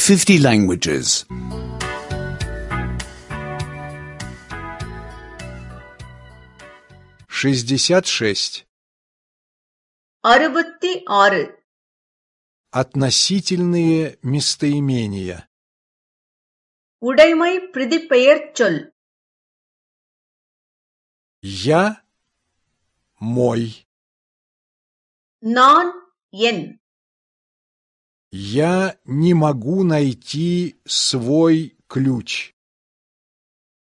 50 languages. 66. 66. Относительные местоимения. உடைமை பிரதிபெயர் சொல். Я мой. நான் என். Я не могу найти свой ключ.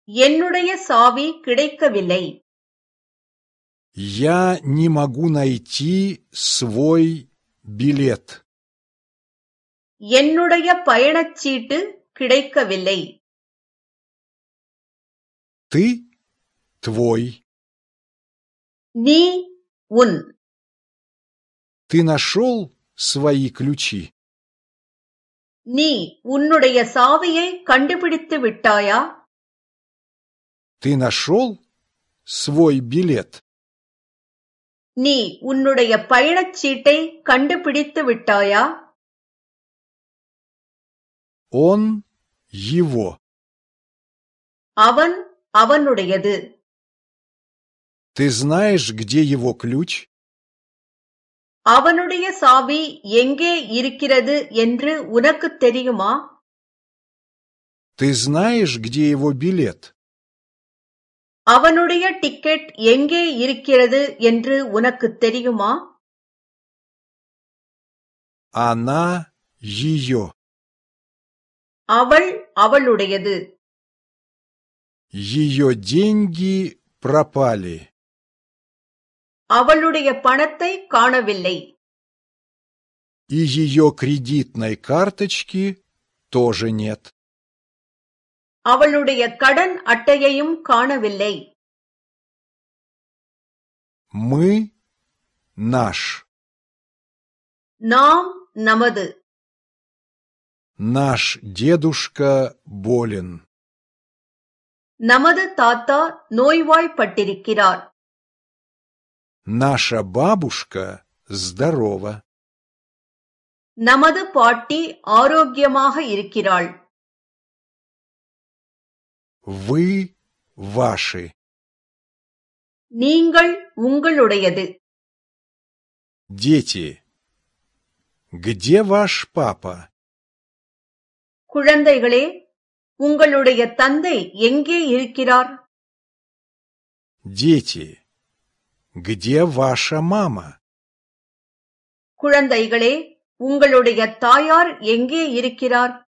என்னுடைய சாவி கிடைக்கவில்லை. Я не могу найти свой билет. என்னுடைய பயணச்சீட்டு கிடைக்கவில்லை. Ты твой. நீ உன். Ты нашел свои ключи? நீ உன்னுடைய சாவியை கண்டுபிடித்து விட்டாயா? Ты нашел свой билет? நீ உன்னுடைய பயணச்சீட்டை கண்டுபிடித்து விட்டாயா? Он его. அவன் அவனுடையது. Ты знаешь, где его ключ? அவனுடைய சாவி எங்கே இருக்கிறது என்று உனக்கு தெரியுமா? Ты знаешь, где его билет? அவனுடைய டிக்கெட் எங்கே இருக்கிறது என்று உனக்கு தெரியுமா? Она ее. அவள் அவளுடையது. Ее деньги пропали. அவளுடைய பணத்தை காணவில்லை. И ее кредитной карточки тоже нет. அவளுடைய கடன் அட்டையையும் காணவில்லை. Мы наш. நாம் நமது. Наш дедушка болен. நமது தாத்தா நோய்வாய்ப்பட்டிருக்கிறார். Наша бабушка здорова. நமது பாட்டி ஆரோக்கியமாக இருக்கிறாள். Вы ваши. நீங்கள் உங்களுடையது. Дети. Где ваш папа? குழந்தைகளே, உங்களுடைய தந்தை எங்கே இருக்கிறார்? Дети. Где ваша мама? குழந்தைகளே, உங்களுடைய தாயார் எங்கே இருக்கிறார்?